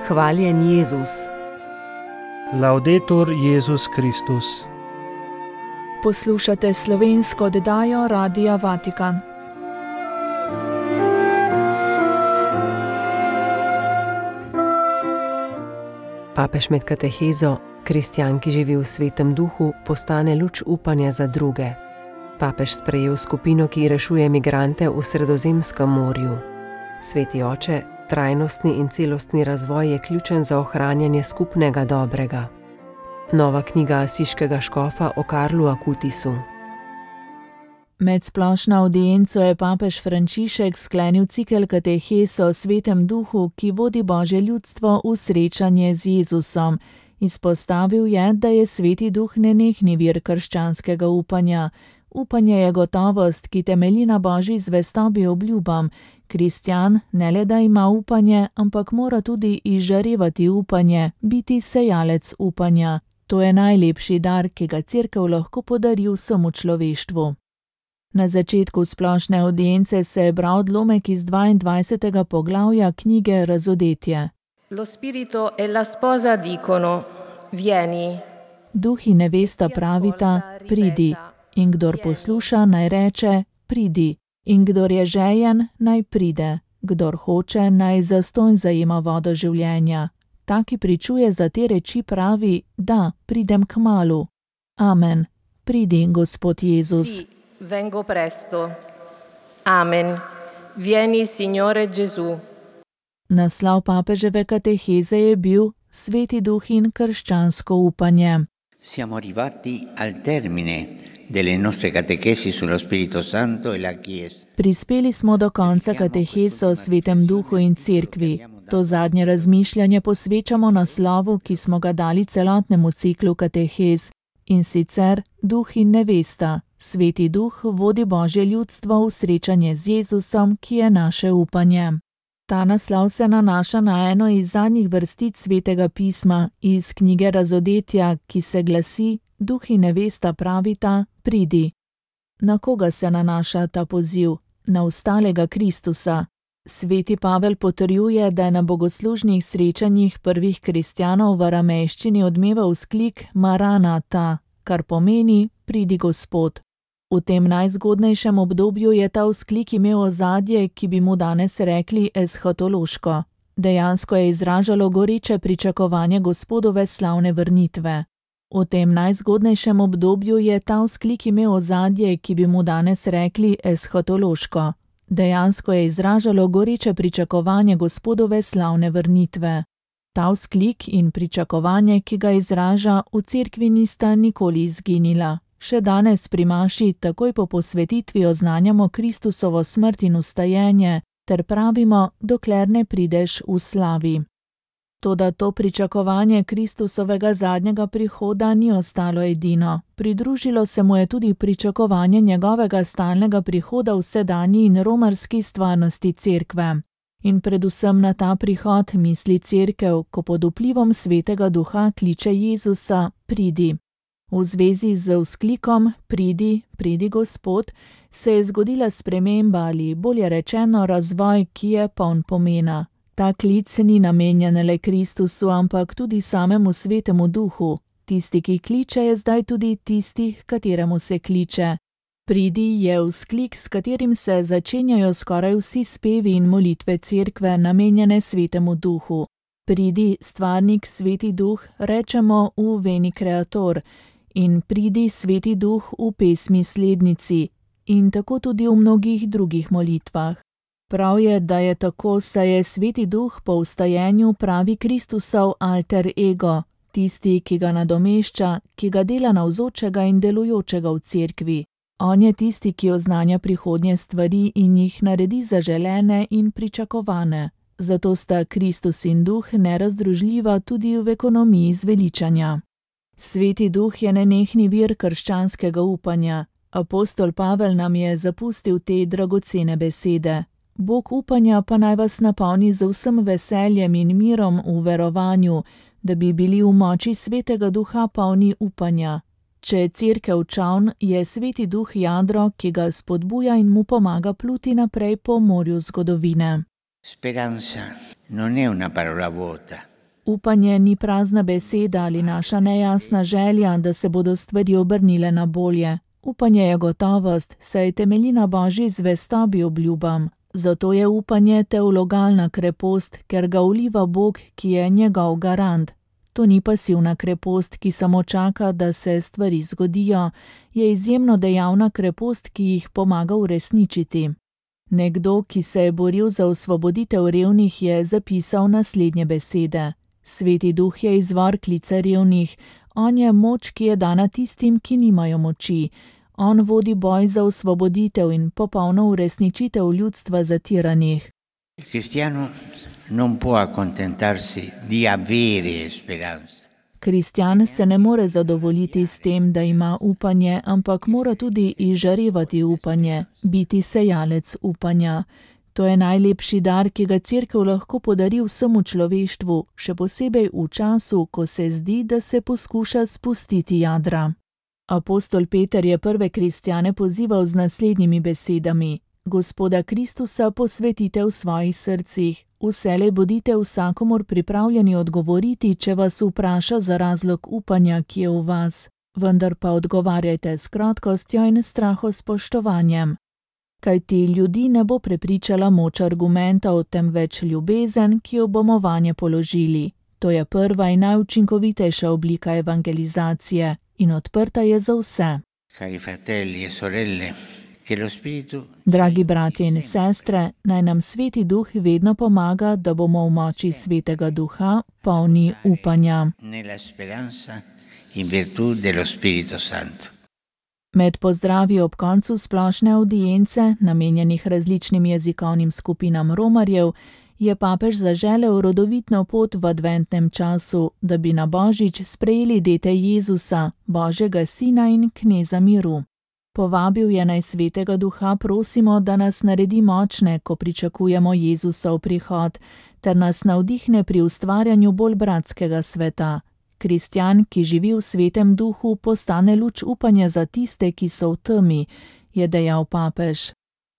Hvaljen Jezus. Laudetur Jezus Kristus. Poslušate slovensko oddajo Radia Vatikan. Papež med katehezo, kristjan, ki živi v svetem duhu, postane luč upanja za druge. Papež sprejel skupino, ki rešuje migrante v Sredozemskem morju. Sveti oče, trajnostni in celostni razvoj je ključen za ohranjanje skupnega dobrega. Nova knjiga asiškega škofa o Karlu Akutisu. Med splošno avdienco je papež Frančišek sklenil cikel katehez o svetem duhu, ki vodi Božje ljudstvo v srečanje z Jezusom. Izpostavil je, da je sveti duh nenehni vir krščanskega upanja. Upanje je gotovost, ki temelji na Božji zvestobi obljubam. Kristjan ne le da ima upanje, ampak mora tudi izžarevati upanje, biti sejalec upanja. To je najlepši dar, ki ga Cerkev lahko podari vsemu človeštvu. Na začetku splošne avdience se je bral odlomek iz 22. poglavja knjige Razodetje. Lo spirito e la sposa dicono, vieni. Duh in nevesta pravita, pridi. In kdor posluša, naj reče, pridi. In kdor je žejen, naj pride. Kdor hoče, naj zastonj zajema vodo življenja. Ta, ki pričuje za te reči, pravi, da, pridem kmalu. Amen. Pridi, Gospod Jezus. Sì, vengo presto. Amen. Vieni, Signore Gesù. Naslov papeževe kateheze je bil Sveti duh in krščansko upanje. Siamo arrivati al termine delle nostre catechesi sullo Spirito Santo e la Chiesa. Prispeli smo do konca kateheze o svetem duhu in cerkvi. To zadnje razmišljanje posvečamo naslovu, ki smo ga dali celotnemu ciklu katehez. In sicer duh in nevesta. Sveti duh vodi Božje ljudstvo v srečanje z Jezusom, ki je naše upanje. Ta naslov se nanaša na eno iz zadnjih vrstic Svetega pisma iz knjige Razodetja, ki se glasi: Duh in nevesta pravita, pridi. Na koga se nanaša ta poziv? Na ostalega Kristusa. Sveti Pavel potrjuje, da je na bogoslužnih srečanjih prvih kristjanov v aramejščini odmeval vzklik Maranata, kar pomeni pridi Gospod. V tem najzgodnejšem obdobju je ta vzklik imel ozadje, ki bi mu danes rekli eshatološko. Dejansko je izražalo goreče pričakovanje Gospodove slavne vrnitve. V tem najzgodnejšem obdobju je ta vzklik imel ozadje, ki bi mu danes rekli eshatološko. Dejansko je izražalo goreče pričakovanje Gospodove slavne vrnitve. Ta vzklik in pričakovanje, ki ga izraža, v cerkvi nista nikoli izginila. Še danes pri maši takoj po posvetitvi oznanjamo Kristusovo smrt in vstajenje, ter pravimo, dokler ne prideš v slavi. Toda to pričakovanje Kristusovega zadnjega prihoda ni ostalo edino. Pridružilo se mu je tudi pričakovanje njegovega stalnega prihoda v sedanji in romarski stvarnosti cerkve. In predvsem na ta prihod misli cerkev, ko pod vplivom Svetega Duha kliče Jezusa, pridi. V zvezi z vzklikom pridi, pridi Gospod, se je zgodila sprememba ali bolje rečeno razvoj, ki je poln pomena. Ta klic ni namenjen le Kristusu, ampak tudi samemu Svetemu Duhu. Tisti, ki kliče, je zdaj tudi tisti, kateremu se kliče. Pridi je vzklik, s katerim se začenjajo skoraj vsi spevi in molitve cerkve namenjene Svetemu Duhu. Pridi, stvarnik, Sveti Duh, rečemo v Veni Creator. In pridi, Sveti Duh, v pesmi Slednici. In tako tudi v mnogih drugih molitvah. Prav je, da je tako, saj je Sveti Duh po vstajenju pravi Kristusov alter ego, tisti, ki ga nadomešča, ki ga dela navzočega in delujočega v cerkvi. On je tisti, ki oznanja prihodnje stvari in jih naredi zaželene in pričakovane. Zato sta Kristus in Duh nerazdružljiva tudi v ekonomiji zveličanja. Sveti Duh je nenehni vir krščanskega upanja. Apostol Pavel nam je zapustil te dragocene besede. Bog upanja pa naj vas napolni z vsem veseljem in mirom v verovanju, da bi bili v moči Svetega Duha polni upanja. Če je cerkev čoln, je Sveti Duh jadro, ki ga spodbuja in mu pomaga pluti naprej po morju zgodovine. Speranza non è una parola vuota. Upanje ni prazna beseda ali naša nejasna želja, da se bodo stvari obrnile na bolje. Upanje je gotovost, saj temelji na Božji zvestobi obljubam. Zato je upanje teologalna krepost, ker ga vliva Bog, ki je njegov garant. To ni pasivna krepost, ki samo čaka, da se stvari zgodijo. Je izjemno dejavna krepost, ki jih pomaga uresničiti. Nekdo, ki se je boril za osvoboditev revnih, je zapisal naslednje besede. Sveti Duh je izvor klica revnih. On je moč, ki je dana tistim, ki nimajo moči. On vodi boj za osvoboditev in popolno uresničitev ljudstva zatiranih. Cristiano non può accontentarsi di avere speranza. Kristjan se ne more zadovoljiti s tem, da ima upanje, ampak mora tudi izžarevati upanje, biti sejalec upanja. To je najlepši dar, ki ga Cerkev lahko podari vsemu človeštvu, še posebej v času, ko se zdi, da se poskuša spustiti jadra. Apostol Peter je prve kristjane pozival z naslednjimi besedami: Gospoda Kristusa posvetite v svojih srcih, vselej bodite vsakomur pripravljeni odgovoriti, če vas vpraša za razlog upanja, ki je v vas, vendar pa odgovarjajte s krotkostjo in strahospoštovanjem. Kajti ljudi ne bo prepričala moč argumentov, temveč ljubezen, ki jo bomo vanje položili. To je prva in najučinkovitejša oblika evangelizacije in odprta je za vse. Cari fratelli e sorelle, che lo Spiritu... Dragi bratje in sestre, naj nam Sveti Duh vedno pomaga, da bomo v moči Svetega Duha polni upanja. Nella speranza in virtù dello Spirito Santo. Med pozdravi ob koncu splošne avdience, namenjenih različnim jezikovnim skupinam romarjev, je papež zaželel rodovitno pot v adventnem času, da bi na Božič sprejeli dete Jezusa, Božjega Sina in Kneza miru. Povabil je naj Svetega Duha prosimo, da nas naredi močne, ko pričakujemo Jezusov prihod, ter nas navdihne pri ustvarjanju bolj bratskega sveta. Kristjan, ki živi v Svetem Duhu, postane luč upanja za tiste, ki so v temi, je dejal papež.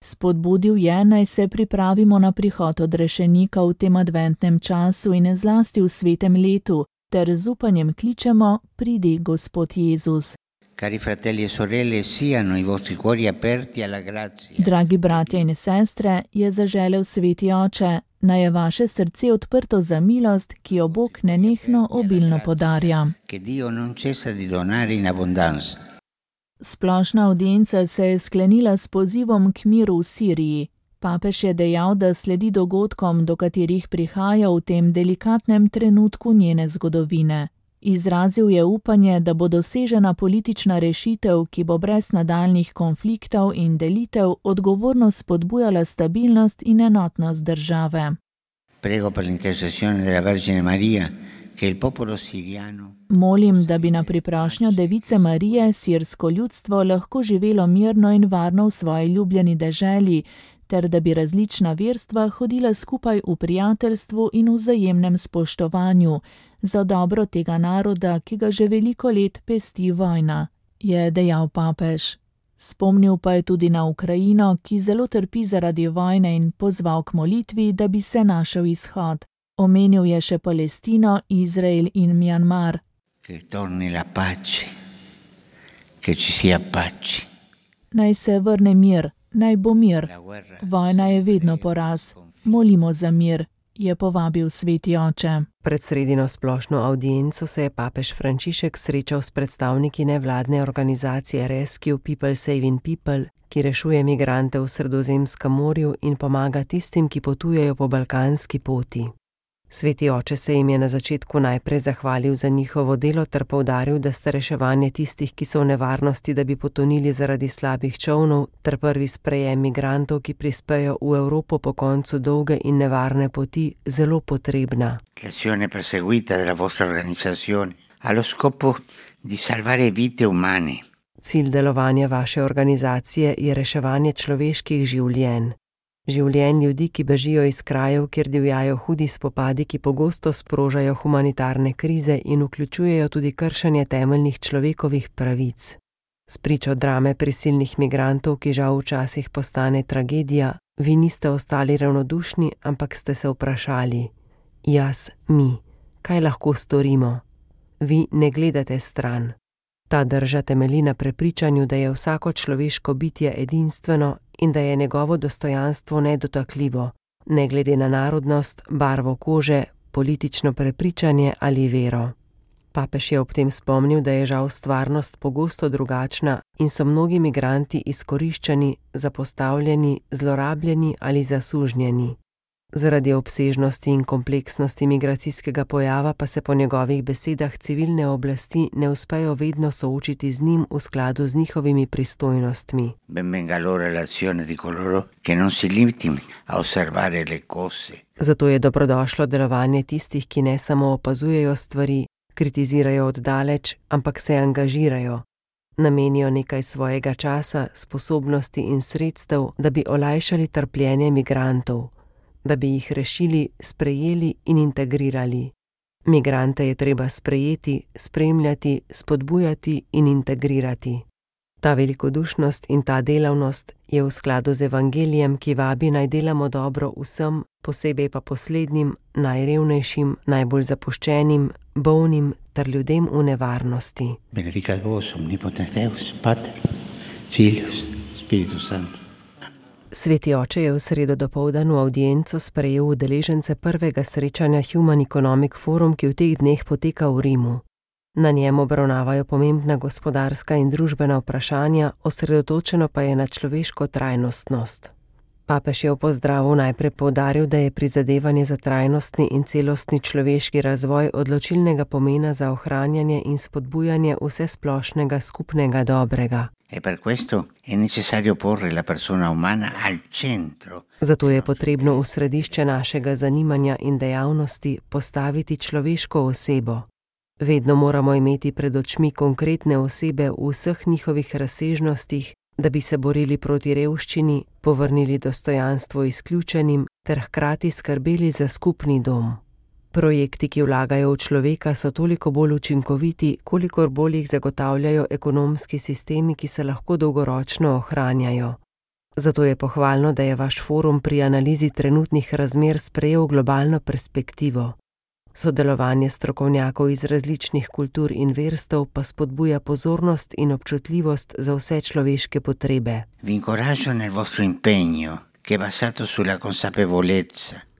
Spodbudil je, naj se pripravimo na prihod odrešenika v tem adventnem času in zlasti v svetem letu, ter z upanjem kličemo: pridi, Gospod Jezus. Cari fratelli e sorelle, siano i vostri cuori aperti alla grazia. Dragi bratje in sestre, je zaželel Sveti Oče, naj je vaše srce odprto za milost, ki jo Bog nenehno obilno podarja. Che Dio non cessa di donare in abbondanza. Splošna avdienca se je sklenila s pozivom k miru v Siriji. Papež je dejal, da sledi dogodkom, do katerih prihaja v tem delikatnem trenutku njene zgodovine. Izrazil je upanje, da bo dosežena politična rešitev, ki bo brez nadaljnjih konfliktov in delitev odgovorno spodbujala stabilnost in enotnost države. Prego per l'intercessione della Vergine Maria che il popolo siriano. Molim, da bi na priprošnjo Device Marije sirsko ljudstvo lahko živelo mirno in varno v svoji ljubljeni deželi, ter da bi različna verstva hodila skupaj v prijateljstvu in vzajemnem spoštovanju, za dobro tega naroda, ki ga že veliko let pesti vojna, je dejal papež. Spomnil pa je tudi na Ukrajino, ki zelo trpi zaradi vojne in pozval k molitvi, da bi se našel izhod. Omenil je še Palestino, Izrael in Mjanmar. Che torni la pace, che ci sia pace. Naj se vrne mir, naj bo mir. Vojna je vedno poraz. Molimo za mir, je povabil Sveti Oče. Pred sredino splošno avdienco se je papež Frančišek srečal s predstavniki nevladne organizacije Rescue People Saving People, ki rešuje migrante v Sredozemskem morju in pomaga tistim, ki potujejo po balkanski poti. Sveti Oče se jim je na začetku najprej zahvalil za njihovo delo ter poudaril, da sta reševanje tistih, ki so v nevarnosti, da bi potonili zaradi slabih čolnov, ter prvi sprejem migrantov, ki prispejo v Evropo po koncu dolge in nevarne poti, zelo potrebna. L'azione perseguita della vostra organizzazione ha lo scopo di salvare vite umane. Cilj delovanja vaše organizacije je reševanje človeških življenj. Življenj ljudi, ki bežijo iz krajev, kjer divjajo hudi spopadi, ki pogosto sprožajo humanitarne krize in vključujejo tudi kršenje temeljnih človekovih pravic. Spričo drame prisilnih migrantov, ki žal včasih postane tragedija, vi niste ostali ravnodušni, ampak ste se vprašali: jaz, mi, kaj lahko storimo? Vi ne gledate stran. Ta drža temelji na prepričanju, da je vsako človeško bitje edinstveno in da je njegovo dostojanstvo nedotakljivo, ne glede na narodnost, barvo kože, politično prepričanje ali vero. Papež je ob tem spomnil, da je žal stvarnost pogosto drugačna in so mnogi migranti izkoriščani, zapostavljeni, zlorabljeni ali zasužnjeni. Zaradi obsežnosti in kompleksnosti migracijskega pojava pa se po njegovih besedah civilne oblasti ne uspejo vedno soočiti z njim v skladu z njihovimi pristojnostmi. Zato je dobrodošlo delovanje tistih, ki ne samo opazujejo stvari, kritizirajo oddaleč, ampak se angažirajo. Namenijo nekaj svojega časa, sposobnosti in sredstev, da bi olajšali trpljenje migrantov, da bi jih rešili, sprejeli in integrirali. Migrante je treba sprejeti, spremljati, spodbujati in integrirati. Ta velikodušnost in ta delavnost je v skladu z evangelijem, ki vabi naj delamo dobro vsem, posebej pa poslednjim, najrevnejšim, najbolj zapuščenim, bolnim ter ljudem v nevarnosti. Benedicat vos omnipotens Deus, Pater, Filius, Spiritus Sanctus. Sveti oče je v sredo dopoldan v avdienco sprejel udeležence prvega srečanja Human Economic Forum, ki v teh dneh poteka v Rimu. Na njem obravnavajo pomembna gospodarska in družbena vprašanja, osredotočeno pa je na človeško trajnostnost. Papež je v pozdravu najprej poudaril, da je prizadevanje za trajnostni in celostni človeški razvoj odločilnega pomena za ohranjanje in spodbujanje vsesplošnega skupnega dobrega. Zato je potrebno v središče našega zanimanja in dejavnosti postaviti človeško osebo. Vedno moramo imeti pred očmi konkretne osebe v vseh njihovih razsežnostih, da bi se borili proti revščini, povrnili dostojanstvo izključenim ter hkrati skrbeli za skupni dom. Projekti, ki vlagajo v človeka, so toliko bolj učinkoviti, kolikor bolj jih zagotavljajo ekonomski sistemi, ki se lahko dolgoročno ohranjajo. Zato je pohvalno, da je vaš forum pri analizi trenutnih razmer sprejel globalno perspektivo. Sodelovanje strokovnjakov iz različnih kultur in verstev pa spodbuja pozornost in občutljivost za vse človeške potrebe.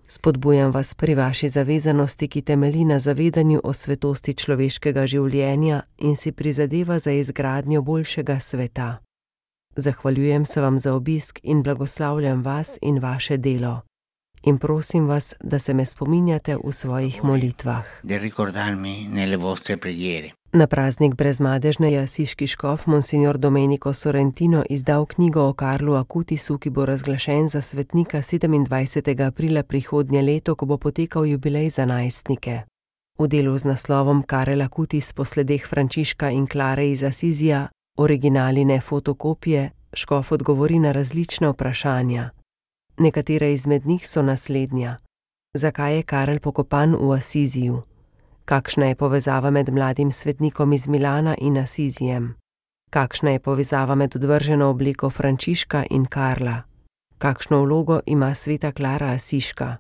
Spodbujam vas pri vaši zavezanosti, ki temelji na zavedanju o svetosti človeškega življenja in si prizadeva za izgradnjo boljšega sveta. Zahvaljujem se vam za obisk in blagoslavljam vas in vaše delo. In prosim vas, da se me spominjate v svojih molitvah. Na praznik brezmadežne je asiški škof monsignor Domenico Sorrentino izdal knjigo o Karlu Acutisu, ki bo razglašen za svetnika 27. aprila prihodnje leto, ko bo potekal jubilej za najstnike. V delu z naslovom Karel Acutis po sledeh Frančiška in Klare iz Asizija, originali ne fotokopije, škof odgovori na različna vprašanja. Nekatere izmed njih so naslednja. Zakaj je Karel pokopan v Asiziju? Kakšna je povezava med mladim svetnikom iz Milana in Asizijem? Kakšna je povezava med odvrženo obliko Frančiška in Karla? Kakšno vlogo ima sveta Klara Asiška?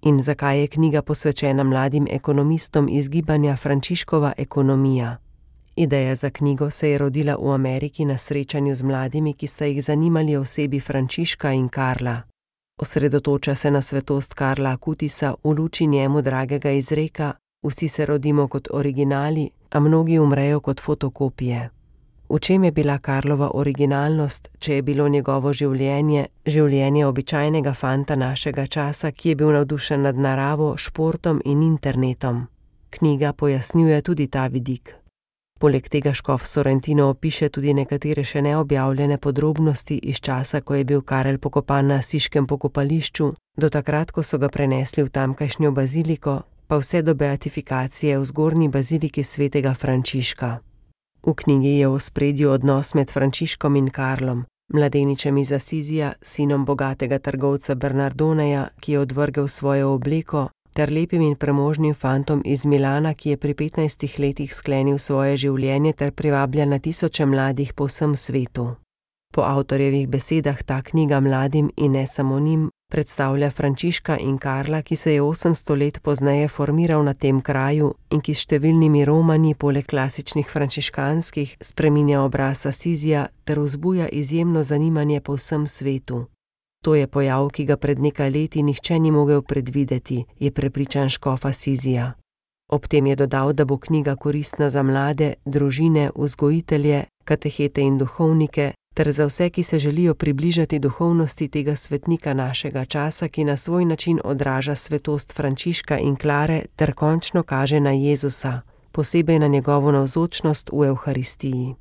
In zakaj je knjiga posvečena mladim ekonomistom iz gibanja Frančiškova ekonomija? Ideja za knjigo se je rodila v Ameriki na srečanju z mladimi, ki sta jih zanimali osebi Frančiška in Karla. Osredotoča se na svetost Karla Acutisa v luči njemu dragega izreka: vsi se rodimo kot originali, a mnogi umrejo kot fotokopije. V čem je bila Karlova originalnost, če je bilo njegovo življenje običajnega fanta našega časa, ki je bil navdušen nad naravo, športom in internetom? Knjiga pojasnjuje tudi ta vidik. Poleg tega škof Sorrentino opiše tudi nekatere še neobjavljene podrobnosti iz časa, ko je bil Karel pokopan na asiškem pokopališču, do takrat, ko so ga prenesli v tamkajšnjo baziliko, pa vse do beatifikacije v zgornji baziliki svetega Frančiška. V knjigi je v ospredju odnos med Frančiškom in Karlom, mladeničem iz Asizija, sinom bogatega trgovca Bernardoneja, ki je odvrgel svojo obleko, ter lepim in premožnim fantom iz Milana, ki je pri 15 letih sklenil svoje življenje ter privablja na tisoče mladih po vsem svetu. Po avtorjevih besedah ta knjiga mladim in ne samo njim predstavlja Frančiška in Karla, ki se je 800 let pozneje formiral na tem kraju in ki s številnimi romanji poleg klasičnih frančiškanskih spreminja obraz Asizija ter vzbuja izjemno zanimanje po vsem svetu. To je pojav, ki ga pred nekaj leti nihče ni mogel predvideti, je prepričan škof Asizija. Ob tem je dodal, da bo knjiga koristna za mlade, družine, vzgojitelje, katehete in duhovnike, ter za vse, ki se želijo približati duhovnosti tega svetnika našega časa, ki na svoj način odraža svetost Frančiška in Klare ter končno kaže na Jezusa, posebej na njegovo navzočnost v Evharistiji.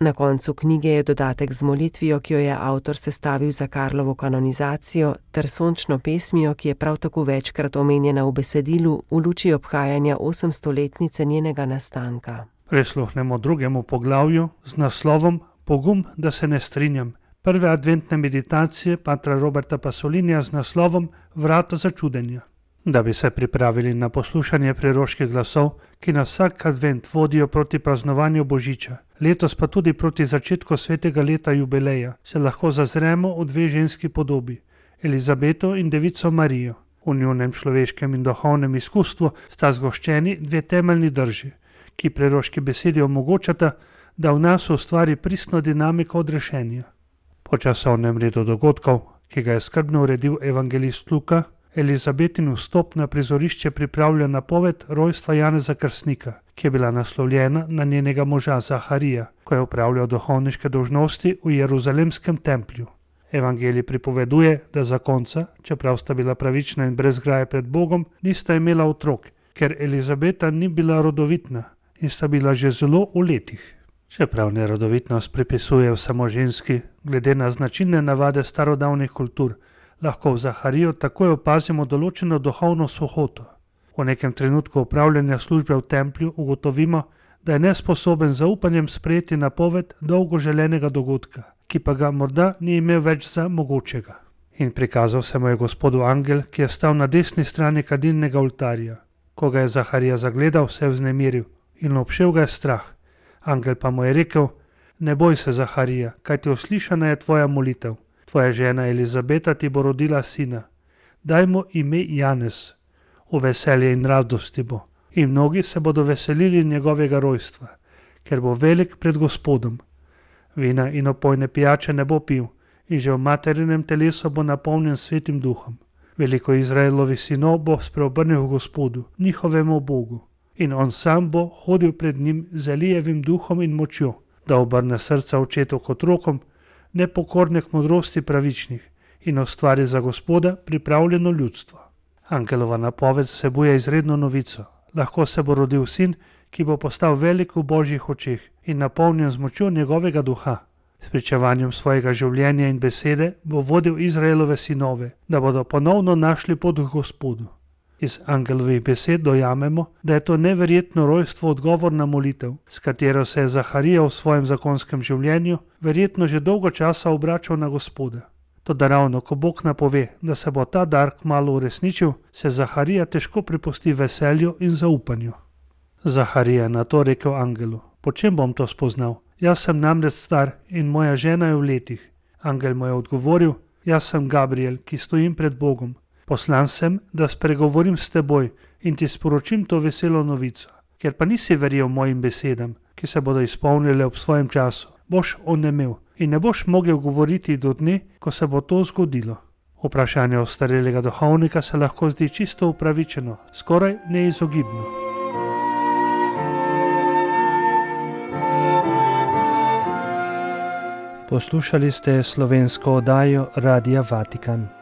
Na koncu knjige je dodatek z molitvijo, ki jo je avtor sestavil za Karlovo kanonizacijo, ter sončno pesmijo, ki je prav tako večkrat omenjena v besedilu v luči obhajanja 800-letnice njenega nastanka. Prisluhnemo drugemu poglavju z naslovom Pogum, da se ne strinjam. Prve adventne meditacije patra Roberta Pasolinija z naslovom Vrata začudenja. Da bi se pripravili na poslušanje preroških glasov, ki nas vsak advent vodijo proti praznovanju Božiča, letos pa tudi proti začetku svetega leta jubileja, se lahko zazremo v dve ženski podobi, Elizabeto in devico Marijo. V njunem človeškem in duhovnem izkustvu sta zgoščeni dve temeljni drži, ki preroški besedi omogočata, da v nas ustvari pristno dinamiko odrešenja. Po časovnem redu dogodkov, ki ga je skrbno uredil evangelist Luka, Elizabetin vstop na prizorišče pripravlja napoved rojstva Janeza Krstnika, ki je bila naslovljena na njenega moža Zaharija, ko je opravljal duhovniške dolžnosti v Jeruzalemskem templju. Evangelij pripoveduje, da zakonca, čeprav sta bila pravična in brez graje pred Bogom, nista imela otrok, ker Elizabeta ni bila rodovitna in sta bila že zelo v letih. Čeprav nerodovitnost pripisuje samo ženski, glede na značilne navade starodavnih kultur, lahko v Zahariju takoj opazimo določeno duhovno suhoto. V nekem trenutku opravljanja službe v templju ugotovimo, da je nesposoben z zaupanjem sprejeti napoved dolgo želenega dogodka, ki pa ga morda ni imel več za mogočega. In prikazal se mu je Gospodu angel, ki je stal na desni strani kadilnega oltarja. Ko ga je Zaharija zagledal, se je vznemiril in obšel ga je strah. Angel pa mu je rekel: Ne boj se, Zaharija, kajti uslišana je tvoja molitev. Tvoja žena Elizabeta ti bo rodila sina. Daj mu ime Janez. V veselje in radosti bo. In mnogi se bodo veselili njegovega rojstva, ker bo velik pred Gospodom. Vina in opojne pijače ne bo pil in že v materinem telesu bo napolnjen svetim duhom. Veliko Izraelovi sinov bo spreobrnil v Gospodu, njihovemu Bogu. In on sam bo hodil pred njim z Elijevim duhom in močjo, da obrne srca očetov k otrokom, nepokorne k modrosti pravičnih in ustvari za Gospoda pripravljeno ljudstvo. Angelova napoved vsebuje izredno novico. Lahko se bo rodil sin, ki bo postal velik v Božjih očeh in napolnjen z močjo njegovega duha. S pričevanjem svojega življenja in besede bo vodil Izraelove sinove, da bodo ponovno našli pot k Gospodu. Iz angelovih besed dojamemo, da je to neverjetno rojstvo odgovor na molitev, s katero se je Zaharija v svojem zakonskem življenju verjetno že dolgo časa obračal na Gospoda. Toda ravno ko Bog napove, da se bo ta dar kmalu uresničil, se Zaharija težko prepusti veselju in zaupanju. Zaharija je na to rekel angelu: Po čem bom to spoznal? Jaz sem namreč star in moja žena je v letih. Angel mu je odgovoril: Jaz sem Gabriel, ki stojim pred Bogom. Poslan sem, da spregovorim s teboj in ti sporočim to veselo novico. Ker pa nisi verjel mojim besedam, ki se bodo izpolnile ob svojem času, boš onemel in ne boš mogel govoriti do dne, ko se bo to zgodilo. Vprašanje ostarelega duhovnika se lahko zdi čisto upravičeno, skoraj neizogibno. Poslušali ste slovensko oddajo Radia Vatikan.